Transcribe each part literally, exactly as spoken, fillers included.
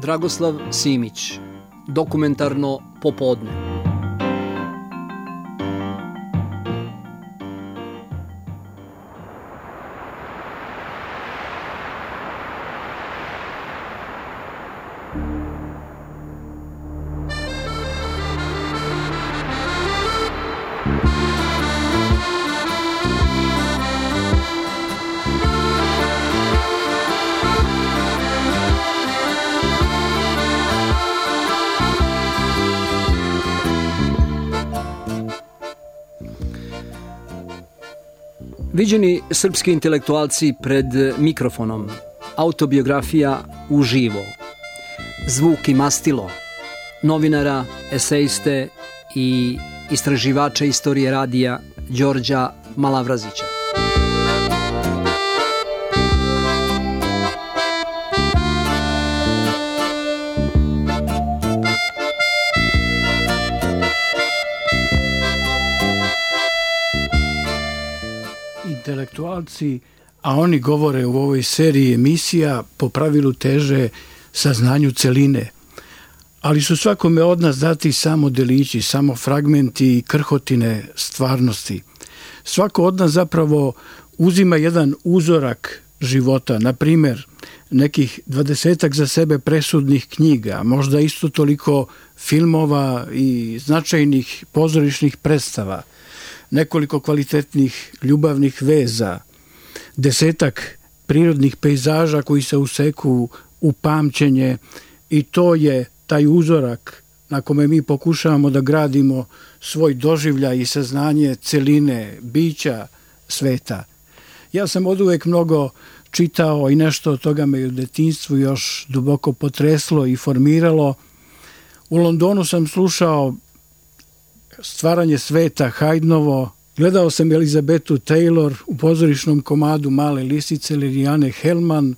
Dragoslav Simić, Dokumentarno popodne. Viđeni srpski intelektualci pred mikrofonom, autobiografija uživo, zvuk i mastilo, novinara, esejiste i istraživača istorije radija Đorđa Malavrazića. Intelektualci, a oni govore u ovoj seriji emisija, po pravilu teže saznanju celine, ali su svakome od nas dati samo delići, samo fragmenti i krhotine stvarnosti. Svako od nas zapravo uzima jedan uzorak života, na primjer nekih dvadesetak za sebe presudnih knjiga, možda isto toliko filmova i značajnih pozorišnih predstava, nekoliko kvalitetnih ljubavnih veza, desetak prirodnih pejzaža koji se useku u pamćenje i to je taj uzorak na kome mi pokušavamo da gradimo svoj doživljaj i saznanje celine, bića sveta. Ja sam oduvek mnogo čitao i nešto od toga me u detinjstvu još duboko potreslo i formiralo. U Londonu sam slušao Stvaranje sveta Haydnovo, gledao sam Elizabetu Taylor u pozorišnom komadu Male lisice Lilijane Hellman,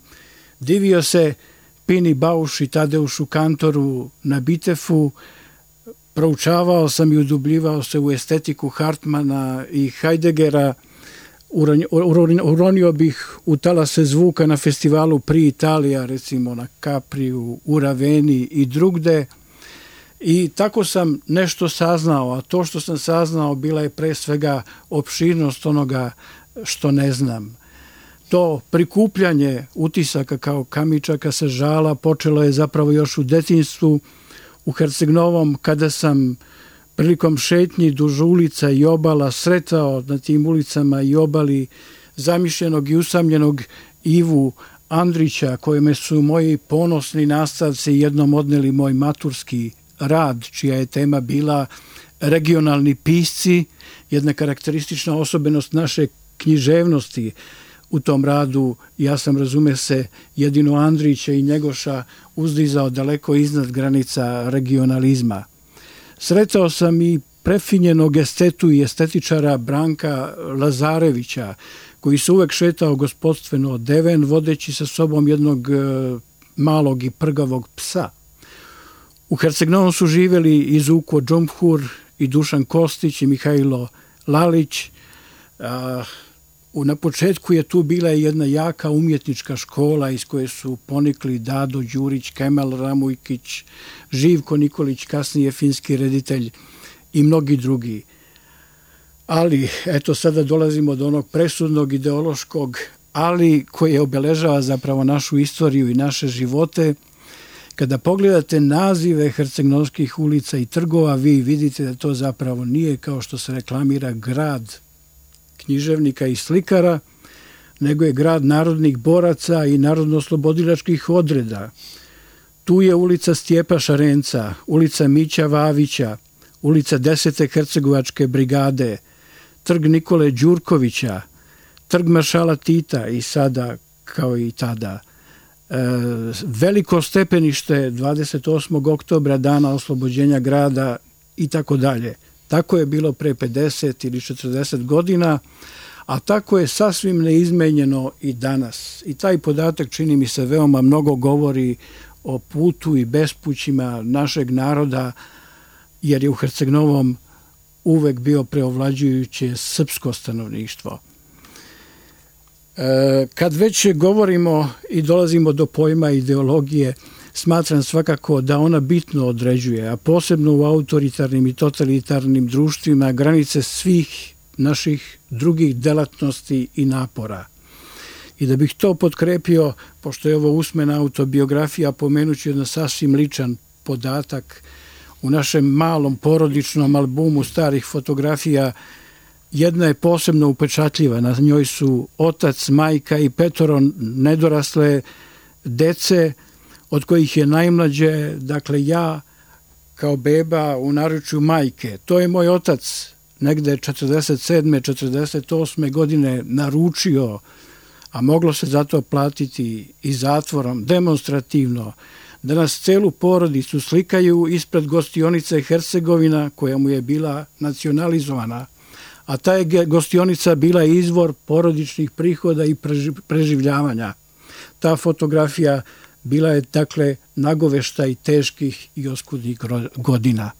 divio se Pini Bausch i Tadeušu Kantoru na Bitefu, proučavao sam i udubljivao se u estetiku Hartmana i Heideggera, uronio bih u talase zvuka na festivalu Pri Italija, recimo na Capriju, u Raveni i drugde. I tako sam nešto saznao, a to što sam saznao bila je pre svega opširnost onoga što ne znam. To prikupljanje utisaka kao kamičaka sa žala počelo je zapravo još u detinjstvu u Herceg-Novom, kada sam prilikom šetnji duž ulica i obala sretao na tim ulicama i obali zamišljenog i usamljenog Ivu Andrića, kojeme su moji ponosni nastavci jednom odneli moj maturski rad, čija je tema bila regionalni pisci, jedna karakteristična osobenost naše književnosti. U tom radu ja sam, razume se, jedino Andrića i Njegoša uzdizao daleko iznad granica regionalizma. Sretao sam i prefinjenog estetu i estetičara Branka Lazarevića, koji se uvek šetao gospodstveno odeven, vodeći sa sobom jednog malog i prgavog psa. U Herceg-Novom su živjeli i Zuko Džumhur, i Dušan Kostić, i Mihajlo Lalić. Na početku je tu bila jedna jaka umjetnička škola iz koje su ponikli Dado Đurić, Kemal Ramujkić, Živko Nikolić, kasnije finski reditelj i mnogi drugi. Ali, eto, sada dolazimo do onog presudnog ideološkog ali koje obeležava zapravo našu istoriju i naše živote. Kada pogledate nazive hercegnovskih ulica i trgova, vi vidite da to zapravo nije, kao što se reklamira, grad književnika i slikara, nego je grad narodnih boraca i narodno-oslobodilačkih odreda. Tu je ulica Stjepa Šarenca, ulica Mića Vavića, ulica desete Hercegovačke brigade, trg Nikole Đurkovića, trg maršala Tita i sada kao i tada. Veliko stepenište dvadeset osmog oktobra, dana oslobođenja grada i tako dalje. Tako je bilo pre pedeset ili četrdeset godina, a tako je sasvim neizmenjeno i danas. I taj podatak, čini mi se, veoma mnogo govori o putu i bespućima našeg naroda, jer je u Herceg-Novom uvek bio preovlađujuće srpsko stanovništvo. Kad već govorimo i dolazimo do pojma ideologije, smatram svakako da ona bitno određuje, a posebno u autoritarnim i totalitarnim društvima, granice svih naših drugih delatnosti i napora. I da bih to potkrepio, pošto je ovo usmena autobiografija, pomenuću jedan sasvim ličan podatak. U našem malom porodičnom albumu starih fotografija jedna je posebno upečatljiva. Na njoj su otac, majka i petoro nedorasle dece, od kojih je najmlađe, dakle ja, kao beba u naručju majke. To je moj otac negde četrdeset sedme četrdeset osme godine naručio, a moglo se zato platiti i zatvorom, demonstrativno, da nas celu porodicu slikaju ispred gostionice Hercegovina, koja mu je bila nacionalizovana, a ta je gostionica bila izvor porodičnih prihoda i preživljavanja. Ta fotografija bila je, dakle, nagoveštaj teških i oskudnih godina.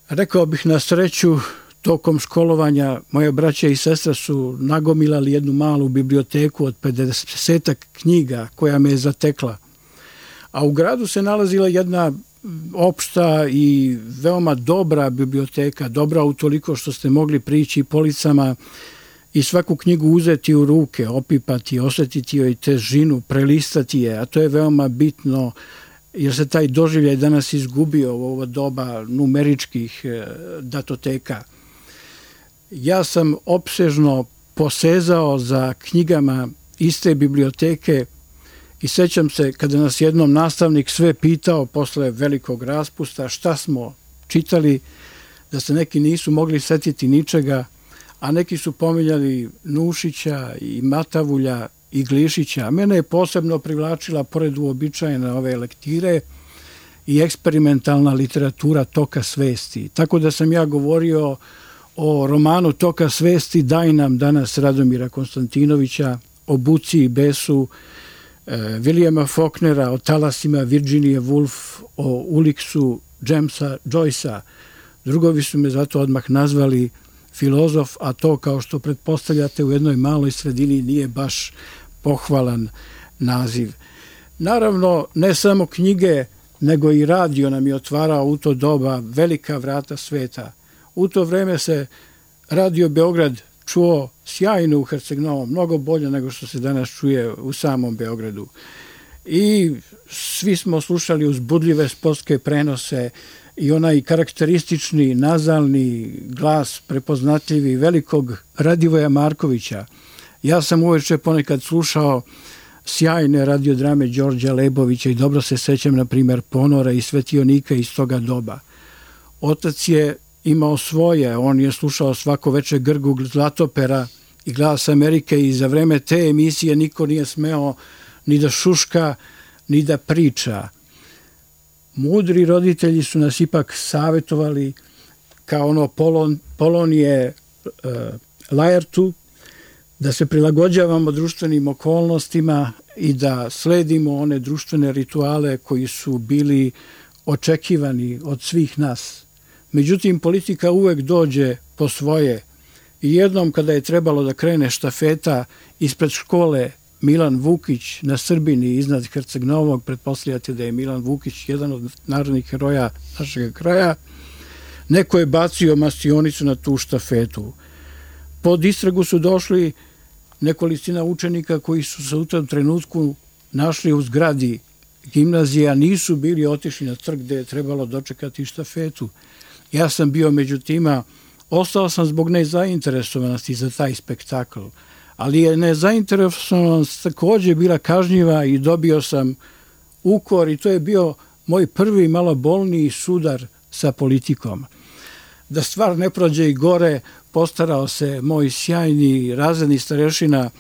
Rekao bih, na sreću, tokom školovanja moje braće i sestra su nagomilali jednu malu biblioteku od pedesetak knjiga koja me je zatekla. A u gradu se nalazila jedna opšta i veoma dobra biblioteka, dobra utoliko što ste mogli prići policama i svaku knjigu uzeti u ruke, opipati, osjetiti joj težinu, prelistati je, a to je veoma bitno jer se taj doživljaj danas izgubio u ovo doba numeričkih datoteka. Ja sam opsežno posezao za knjigama iste biblioteke i sećam se kada nas jednom nastavnik sve pitao posle velikog raspusta šta smo čitali, da se neki nisu mogli setiti ničega, a neki su pominjali Nušića i Matavulja i Glišića. Mene je posebno privlačila, pored uobičajene ove lektire, i eksperimentalna literatura Toka svesti. Tako da sam ja govorio o romanu Toka svesti Daj nam danas Radomira Konstantinovića, o Buci i besu Williama Faulknera, o talasima Virginije Woolf, o Uliksu Jamesa Joycea. Drugovi su me zato odmah nazvali filozof, a to, kao što pretpostavljate, u jednoj maloj sredini nije baš pohvalan naziv. Naravno, ne samo knjige, nego i radio nam je otvarao u to doba velika vrata sveta. U to vreme se Radio Beograd čuo sjajno u Herceg-Novom, mnogo bolje nego što se danas čuje u samom Beogradu. I svi smo slušali uzbudljive sportske prenose i onaj karakteristični nazalni glas prepoznatljivi velikog Radivoja Markovića. Ja sam uveče ponekad slušao sjajne radiodrame Đorđa Lebovića i dobro se sećam, na primjer, Ponora i Svetionika iz toga doba. Otac je imao svoje, on je slušao svako veče Grgu Zlatopera i Glas Amerike i za vreme te emisije niko nije smeo ni da šuška, ni da priča. Mudri roditelji su nas ipak savjetovali kao ono Polon, Polonije uh, Lajertu, da se prilagođavamo društvenim okolnostima i da sledimo one društvene rituale koji su bili očekivani od svih nas. Međutim, politika uvek dođe po svoje i jednom kada je trebalo da krene štafeta ispred škole Milan Vukić na Srbini iznad Herceg-Novog, pretpostavljate da je Milan Vukić jedan od narodnih heroja našeg kraja, neko je bacio mastionicu na tu štafetu. Pod istragu su došli nekolicina učenika koji su se u tom trenutku našli u zgradi gimnazije, a nisu bili otišli na trg gde je trebalo dočekati štafetu. Ja sam bio među tima, ostao sam zbog nezainteresovanosti za taj spektakl, ali je nezainteresovanost također bila kažnjiva i dobio sam ukor i to je bio moj prvi malo bolniji sudar sa politikom. Da stvar ne prođe i gore, postarao se moj sjajni razredni starešina,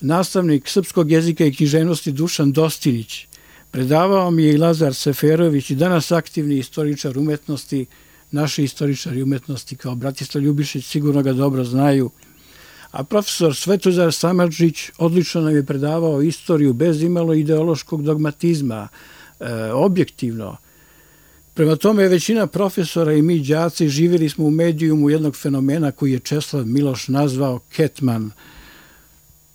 nastavnik srpskog jezika i književnosti Dušan Dostinić. Predavao mi je i Lazar Seferović, i danas aktivni istoričar umetnosti. Naši istoričari umetnosti kao Bratislav Ljubišić sigurno ga dobro znaju. A profesor Svetozar Samardžić odlično nam je predavao istoriju bez imalo ideološkog dogmatizma, e, objektivno. Prema tome, većina profesora i mi đaci živjeli smo u medijumu jednog fenomena koji je Česlav Miloš nazvao Ketman.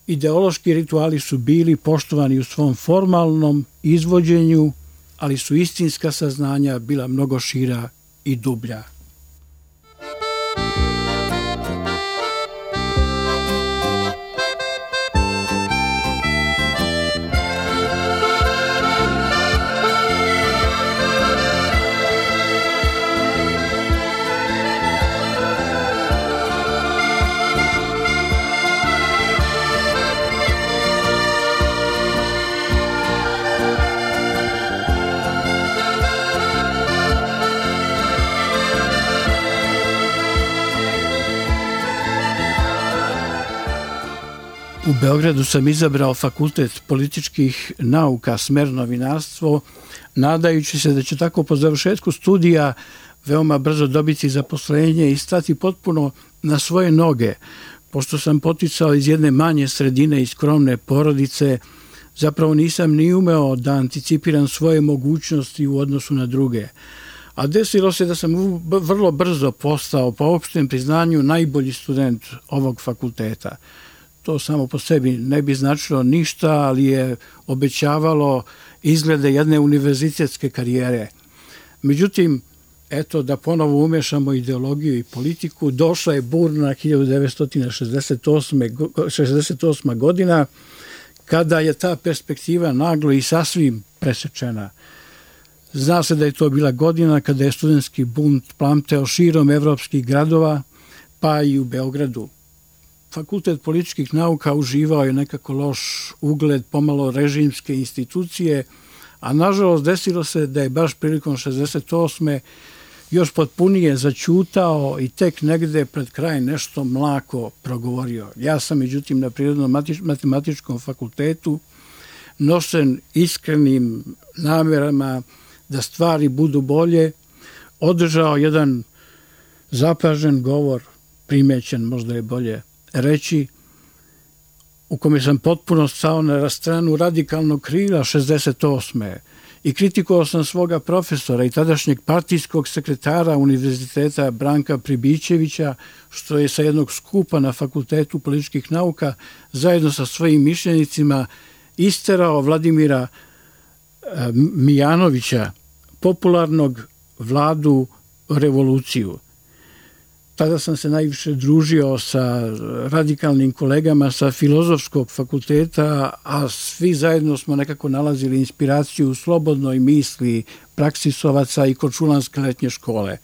ideološki rituali su bili poštovani u svom formalnom izvođenju, ali su istinska saznanja bila mnogo šira i dublja. U Beogradu sam izabrao fakultet političkih nauka, smer novinarstvo, nadajući se da će tako po završetku studija veoma brzo dobiti zaposlenje i stati potpuno na svoje noge. Pošto sam poticao iz jedne manje sredine i skromne porodice, zapravo nisam ni umeo da anticipiram svoje mogućnosti u odnosu na druge. A desilo se da sam vrlo brzo postao, po opštem priznanju, najbolji student ovog fakulteta. To samo po sebi ne bi značilo ništa, ali je obećavalo izglede jedne univerzitetske karijere. Međutim, eto, da ponovo umešamo ideologiju i politiku, došla je burna hiljadu devetsto šezdeset osma. godina, kada je ta perspektiva naglo i sasvim presečena. Zna se da je to bila godina kada je studentski bunt plamteo širom evropskih gradova, pa i u Beogradu. Fakultet političkih nauka uživao je nekako loš ugled, pomalo režimske institucije, a nažalost desilo se da je baš prilikom šezdeset osme još potpunije zaćutao i tek negde pred kraj nešto mlako progovorio. Ja sam, međutim, na Prirodno-matematičkom fakultetu, nošen iskrenim namerama da stvari budu bolje, održao jedan zapažen govor, primećen, možda je bolje reći, u kome sam potpuno stao na stranu radikalnog krila šezdeset osme i kritikovao sam svoga profesora i tadašnjeg partijskog sekretara Univerziteta Branka Pribićevića, što je sa jednog skupa na Fakultetu političkih nauka zajedno sa svojim mišljenicima isterao Vladimira Mijanovića, popularnog Vladu revoluciju. Tada sam se najviše družio sa radikalnim kolegama sa Filozofskog fakulteta, a svi zajedno smo nekako nalazili inspiraciju u slobodnoj misli praksisovaca i Korčulanske letnje škole.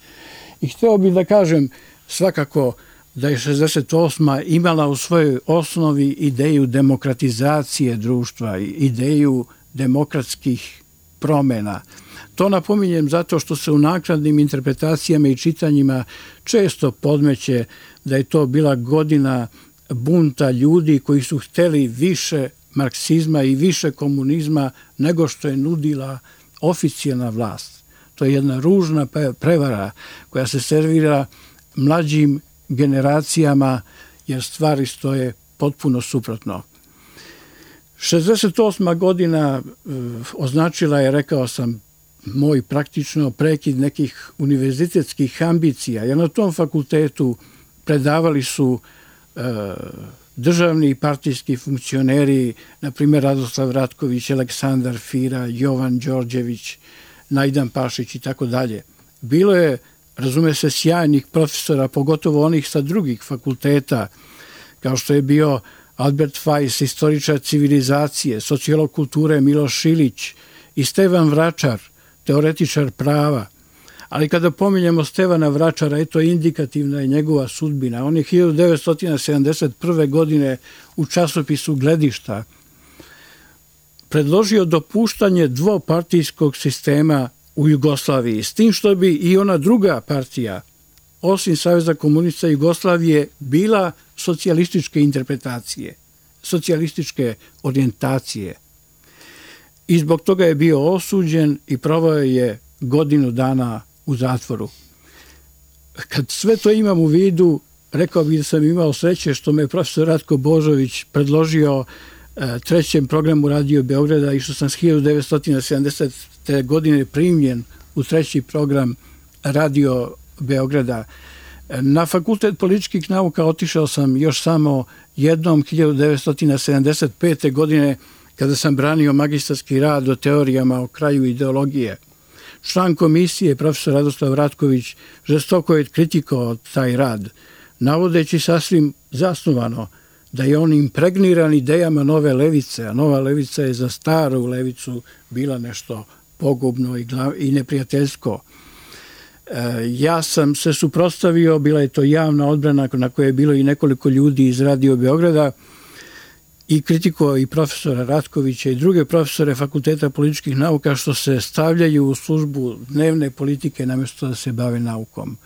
I hteo bih da kažem svakako da je šezdeset osma imala u svojoj osnovi ideju demokratizacije društva, ideju demokratskih promena. To napominjem zato što se u naknadnim interpretacijama i čitanjima često podmeće da je to bila godina bunta ljudi koji su hteli više marksizma i više komunizma nego što je nudila oficijalna vlast. To je jedna ružna prevara koja se servira mlađim generacijama jer stvari stoje potpuno suprotno. šezdeset osma godina označila je, rekao sam, moj praktično prekid nekih univerzitetskih ambicija, jer na tom fakultetu predavali su e, državni i partijski funkcioneri, na primjer Radoslav Ratković, Aleksandar Fira, Jovan Đorđević, Najdan Pašić i tako dalje. Bilo je, razume se, sjajnih profesora, pogotovo onih sa drugih fakulteta, kao što je bio Albert Fajs, istoričar civilizacije, sociolog kulture Miloš Ilić i Stevan Vračar, teoretičar prava. Ali kada pominjemo Stevana Vračara, eto indikativna je njegova sudbina. On je hiljadu devetsto sedamdeset prve. godine u časopisu Gledišta predložio dopuštanje dvopartijskog sistema u Jugoslaviji, s tim što bi i ona druga partija, osim Saveza komunista Jugoslavije, bila socijalističke interpretacije, socijalističke orijentacije. I zbog toga je bio osuđen i proveo je godinu dana u zatvoru. Kad sve to imam u vidu, rekao bih da sam imao sreće što me profesor Ratko Božović predložio trećem programu Radio Beograda i što sam s hiljadu devetsto sedamdesete. godine primljen u treći program Radio Beograda. Na Fakultet političkih nauka otišao sam još samo jednom hiljadu devetsto sedamdeset pete. godine kada sam branio magistarski rad o teorijama o kraju ideologije. Član komisije, profesor Radoslav Ratković, žestoko je kritikovao taj rad, navodeći sasvim zasnovano da je on impregniran idejama nove levice, a nova levica je za staru levicu bila nešto pogubno i, glav, i neprijateljsko. E, ja sam se suprotstavio, bila je to javna odbrana na kojoj je bilo i nekoliko ljudi iz Radio Beograda i kritikovao i profesora Ratkovića i druge profesore Fakulteta političkih nauka što se stavljaju u službu dnevne politike namjesto da se bave naukom.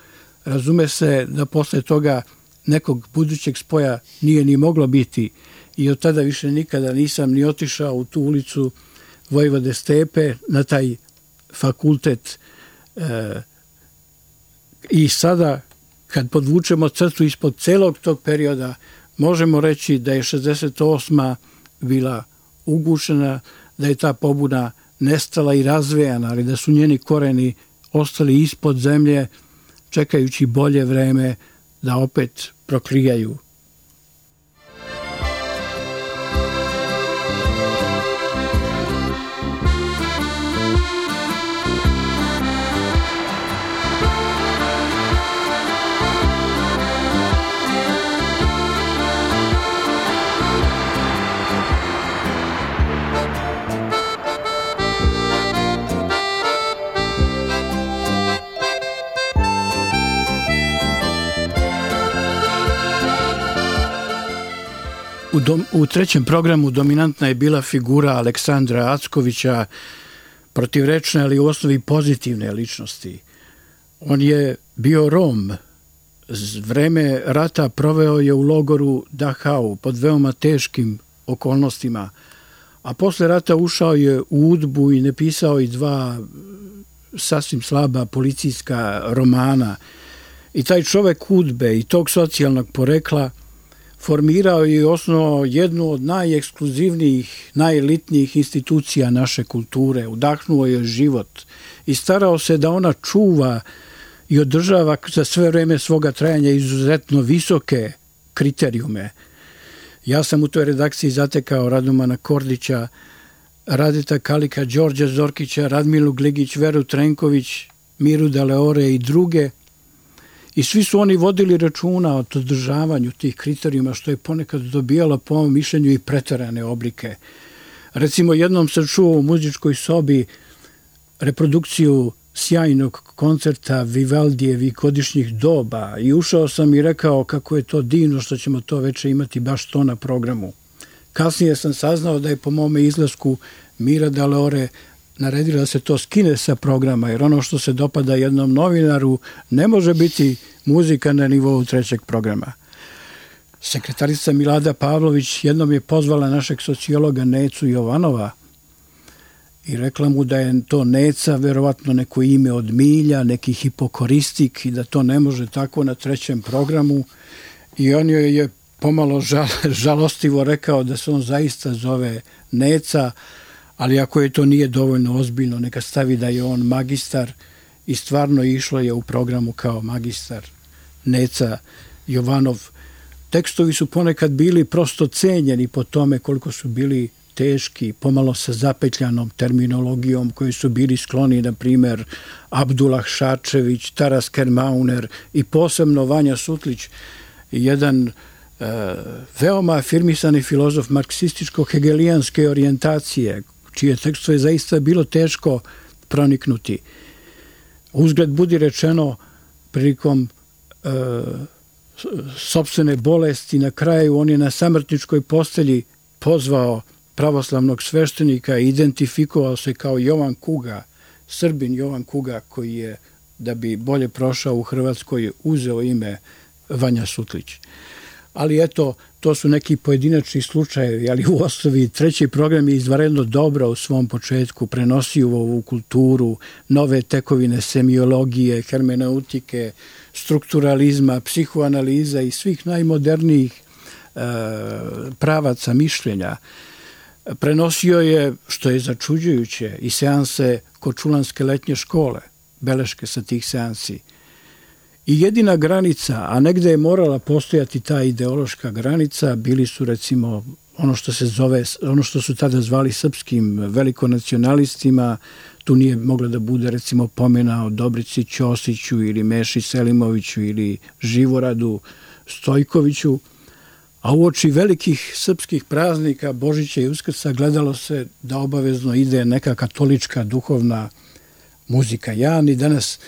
Razume se da posle toga nekog budućeg spoja nije ni moglo biti i od tada više nikada nisam ni otišao u tu ulicu Vojvode Stepe na taj fakultet. E, I sada kad podvučemo crtu ispod celog tog perioda možemo reći da je šezdeset osma bila ugušena, da je ta pobuna nestala i razvejana, ali da su njeni koreni ostali ispod zemlje čekajući bolje vreme da opet proklijaju. U, dom, u trećem programu dominantna je bila figura Aleksandra Ackovića, protivrečne, ali u osnovi pozitivne ličnosti. On je bio Rom. Vreme rata proveo je u logoru Dachau pod veoma teškim okolnostima, a posle rata ušao je u UDBU i napisao i dva sasvim slaba policijska romana. I taj čovek UDBE i tog socijalnog porekla formirao je i osnovao jednu od najekskluzivnijih, najelitnijih institucija naše kulture, udahnuo je život i starao se da ona čuva i održava za sve vreme svoga trajanja izuzetno visoke kriterijume. Ja sam u toj redakciji zatekao Radomana Kordića, Radeta Kalika, Đorđa Zorkića, Radmilu Gligić, Veru Trenković, Miru Daleore i druge. I svi su oni vodili računa o održavanju tih kriterijuma, što je ponekad dobijalo po mom mišljenju i preterane oblike. Recimo, jednom sam čuo u muzičkoj sobi reprodukciju sjajnog koncerta Vivaldijevih godišnjih doba i ušao sam i rekao kako je to divno što ćemo to veče imati baš to na programu. Kasnije sam saznao da je po mome izlasku Mira Daleore naredila da se to skine sa programa, jer ono što se dopada jednom novinaru ne može biti muzika na nivou trećeg programa. Sekretarica Milada Pavlović jednom je pozvala našeg sociologa Necu Jovanova i rekla mu da je to Neca verovatno neko ime od milja, neki hipokoristik i da to ne može tako na trećem programu. I on joj je pomalo žal, žalostivo rekao da se on zaista zove Neca, ali ako je to nije dovoljno ozbiljno, neka stavi da je on magistar i stvarno išlo je u programu kao magistar Neca Jovanov. Tekstovi su ponekad bili prosto cenjeni po tome koliko su bili teški, pomalo sa zapetljanom terminologijom koji su bili skloni, na primer, Abdullah Šarčević, Taras Kermauner i posebno Vanja Sutlić, jedan e, veoma afirmisani filozof marksističko-hegelijanske orijentacije, čije tekstove zaista bilo teško proniknuti. Uzgled budi rečeno, prilikom e, sopstvene bolesti na kraju on je na samrtničkoj postelji pozvao pravoslavnog sveštenika i identifikovao se kao Jovan Kuga, Srbin Jovan Kuga, koji je, da bi bolje prošao u Hrvatskoj, uzeo ime Vanja Sutlić. Ali eto, to su neki pojedinačni slučajevi, ali u osnovi treći program je izvanredno dobro u svom početku, prenosio ovu kulturu, nove tekovine semiologije, hermeneutike, strukturalizma, psihoanaliza i svih najmodernijih e, pravaca mišljenja. Prenosio je, što je začuđujuće, i seanse Kočulanske letnje škole, beleške sa tih seansi. I jedina granica, a negde je morala postojati ta ideološka granica, bili su recimo ono što se zove, ono što su tada zvali srpskim velikonacionalistima. Tu nije mogla da bude recimo pomena o Dobrici Ćosiću ili Meši Selimoviću ili Živoradu Stojkoviću. A uoči velikih srpskih praznika Božića i Uskrsa gledalo se da obavezno ide neka katolička duhovna muzika. Ja ni danas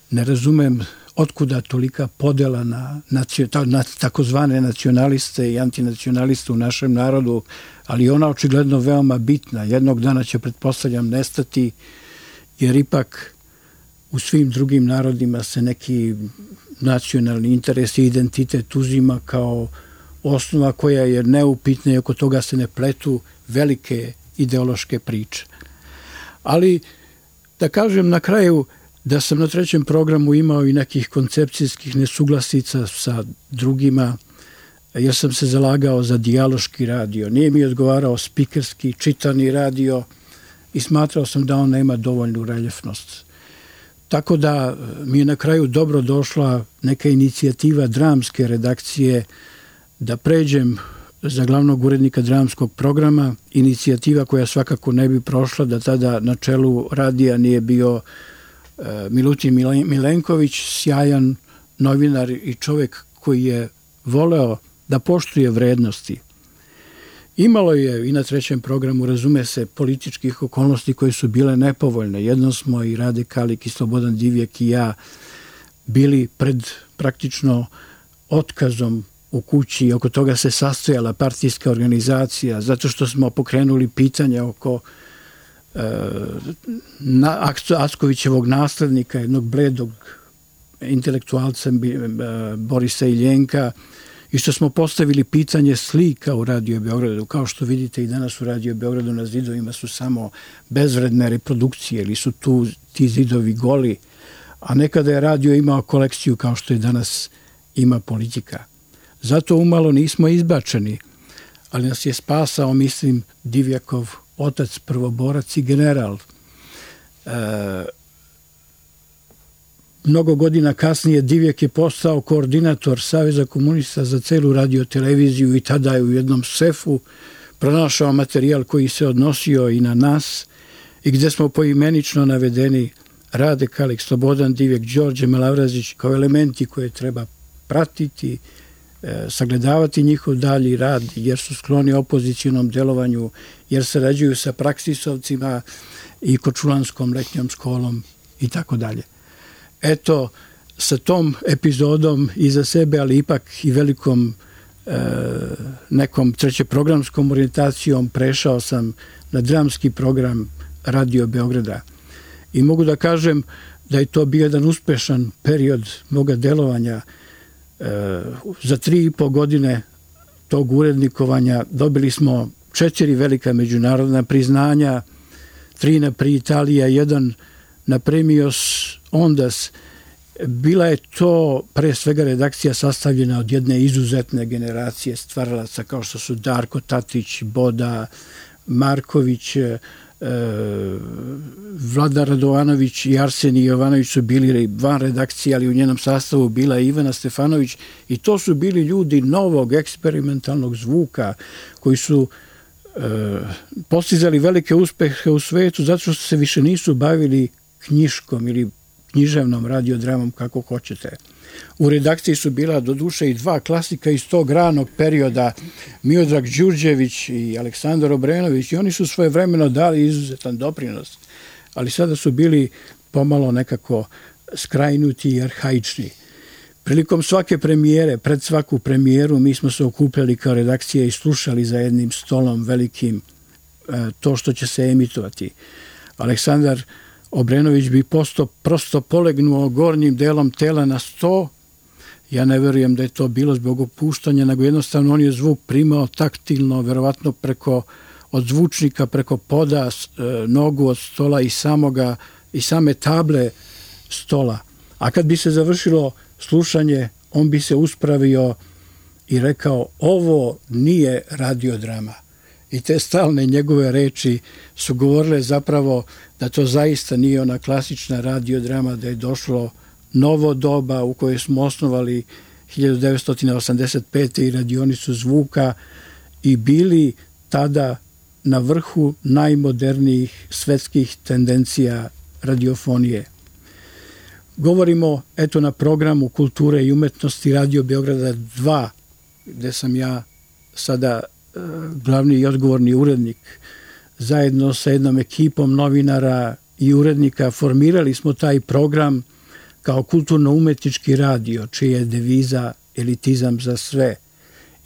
ne razumem otkuda tolika podela na, na takozvane nacionaliste i antinacionaliste u našem narodu, ali ona očigledno veoma bitna. Jednog dana će, pretpostavljam, nestati, jer ipak u svim drugim narodima se neki nacionalni interes i identitet uzima kao osnova koja je neupitna i oko toga se ne pletu velike ideološke priče. Ali, da kažem na kraju, da sam na trećem programu imao i nekih koncepcijskih nesuglasica sa drugima, jer sam se zalagao za dijaloški radio. Nije mi odgovarao spikerski, čitani radio i smatrao sam da on nema dovoljnu reljefnost. Tako da mi je na kraju dobro došla neka inicijativa dramske redakcije da pređem za glavnog urednika dramskog programa, inicijativa koja svakako ne bi prošla da tada na čelu radija nije bio Milutin Milenković, sjajan novinar i čovjek koji je voleo da poštuje vrednosti. Imalo je i na trećem programu, razume se, političkih okolnosti koje su bile nepovoljne. Jednom smo i Rade Kalik i Slobodan Divjak i ja bili pred praktično otkazom u kući i oko toga se sastojala partijska organizacija zato što smo pokrenuli pitanje oko na Ackovićevog naslednika, jednog bledog intelektualca Borisa Iljenka, i što smo postavili pitanje slika u Radio Beogradu. Kao što vidite i danas u Radio Beogradu na zidovima su samo bezvredne reprodukcije ili su tu ti zidovi goli, a nekada je radio imao kolekciju kao što je danas ima Politika. Zato umalo nismo izbačeni, ali nas je spasao, mislim, Divjakov otac, prvoborac i general. E, mnogo godina kasnije Divjak je postao koordinator Saveza komunista za celu radioteleviziju i tada je u jednom sefu pronašao materijal koji se odnosio i na nas i gde smo poimenično navedeni Rade Kalik, Slobodan Divjak, Đorđe Malavrazić kao elementi koje treba pratiti, sagledavati njihov dalji rad, jer su skloni opozicionom delovanju, jer sarađuju sa praksisovcima i Kočulanskom letnjom školom i tako dalje. Eto, sa tom epizodom iza sebe, ali ipak i velikom e, nekom trećeprogramskom orijentacijom prešao sam na dramski program Radio Beograda. I mogu da kažem da je to bio jedan uspešan period moga delovanja. Za tri i po godine tog urednikovanja dobili smo četiri velika međunarodna priznanja, tri na Pri Italija, jedan na Premios Ondas. Bila je to pre svega redakcija sastavljena od jedne izuzetne generacije stvaralaca kao što su Darko Tatić, Boda, Marković, Vlada Radovanović i Arsenij Jovanović su bili van redakcije, ali u njenom sastavu bila i Ivana Stefanović i to su bili ljudi novog eksperimentalnog zvuka koji su e, postizali velike uspehe u svetu zato što se više nisu bavili knjiškom ili književnom radiodramom, kako hoćete. U redakciji su bila do duše i dva klasika iz tog ranog perioda, Miodrag Đurđević i Aleksandar Obrenović, i oni su svojevremeno dali izuzetan doprinos, ali sada su bili pomalo nekako skrajnuti i arhaični. Prilikom svake premijere, pred svaku premijeru, mi smo se okupljali kao redakcija i slušali za jednim stolom velikim to što će se emitovati. Aleksandar Obrenović bi posto, prosto polegnuo gornjim delom tela na sto. Ja ne verujem da je to bilo zbog opuštanja, nego jednostavno on je zvuk primao taktilno, verovatno preko od zvučnika, preko poda, nogu od stola i samoga i same table stola. A kad bi se završilo slušanje, on bi se uspravio i rekao: ovo nije radiodrama. I te stalne njegove reči su govorile zapravo da to zaista nije ona klasična radiodrama, da je došlo novo doba u kojoj smo osnovali hiljadu devetsto osamdeset pete. i radionicu zvuka i bili tada na vrhu najmodernijih svetskih tendencija radiofonije. Govorimo eto na programu Kulture i umetnosti Radio Beograda dva, gde sam ja sada e, glavni i odgovorni urednik. Zajedno sa jednom ekipom novinara i urednika formirali smo taj program kao kulturno-umetnički radio, čija je deviza elitizam za sve.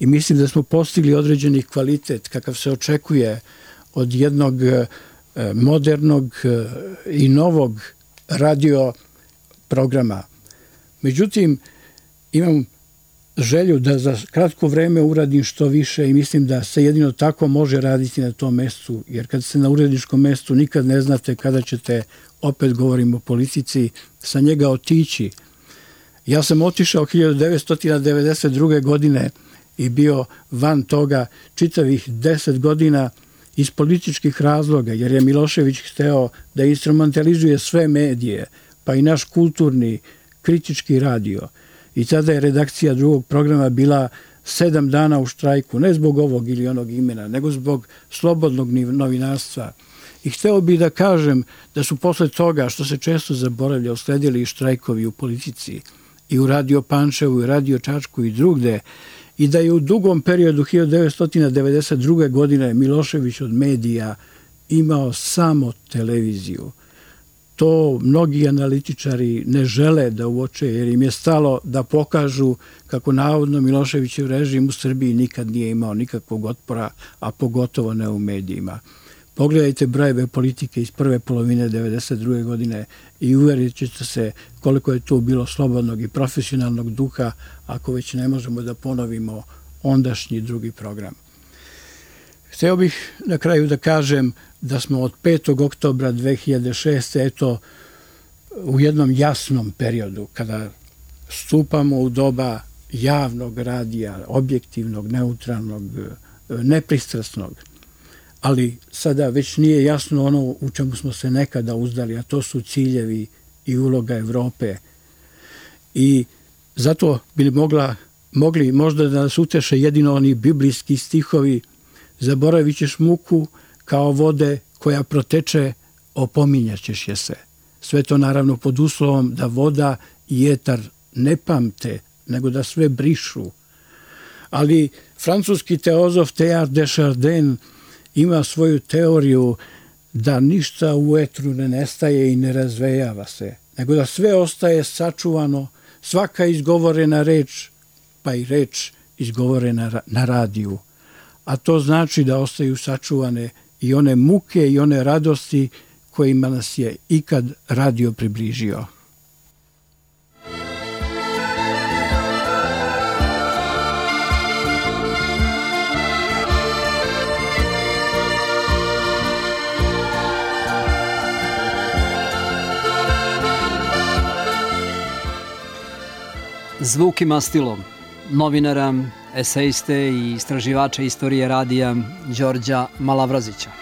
I mislim da smo postigli određeni kvalitet kakav se očekuje od jednog e, modernog e, i novog radio programa. Međutim, imam želju da za kratko vreme uradim što više i mislim da se jedino tako može raditi na tom mestu, jer kad ste na uredničkom mestu nikad ne znate kada ćete, opet govorim o politici, sa njega otići. Ja sam otišao hiljadu devetsto devedeset druge. godine i bio van toga čitavih deset godina iz političkih razloga, jer je Milošević hteo da instrumentalizuje sve medije, pa i naš kulturni, kritički radio. I tada je redakcija drugog programa bila sedam dana u štrajku, ne zbog ovog ili onog imena, nego zbog slobodnog novinarstva. I hteo bih da kažem da su posle toga, što se često zaboravlja, usledili i štrajkovi u politici, i u Radio Pančevu, i Radio Čačku i drugde, i da je u dugom periodu hiljadu devetsto devedeset druge. godine Milošević od medija imao samo televiziju. To mnogi analitičari ne žele da uoče, jer im je stalo da pokažu kako navodno Miloševićev režim u Srbiji nikad nije imao nikakvog otpora, a pogotovo ne u medijima. Pogledajte brojeve politike iz prve polovine devedeset druge. godine i uverit ćete se koliko je tu bilo slobodnog i profesionalnog duha, ako već ne možemo da ponovimo ondašnji drugi program. Hteo bih na kraju da kažem da smo od petog oktobra dve hiljade šeste. eto u jednom jasnom periodu, kada stupamo u doba javnog radija, objektivnog, neutralnog, nepristrasnog, ali sada već nije jasno ono u čemu smo se nekada uzdali, a to su ciljevi i uloga Evrope. I zato bi mogla, mogli možda da nas uteše jedino oni biblijski stihovi: zaboravit ćeš muku kao vode koja proteče, opominjaćeš je se. Sve to naravno pod uslovom da voda i etar ne pamte, nego da sve brišu. Ali francuski teozof Teilhard de Chardin ima svoju teoriju da ništa u etru ne nestaje i ne razvejava se, nego da sve ostaje sačuvano, svaka izgovorena reč, pa i reč izgovorena na radiju. A to znači da ostaju sačuvane i one muke i one radosti kojima nas je ikad radio približio. Zvuk i mastilo novinara, esejiste i istraživača istorije radija Đorđa Malavrazića.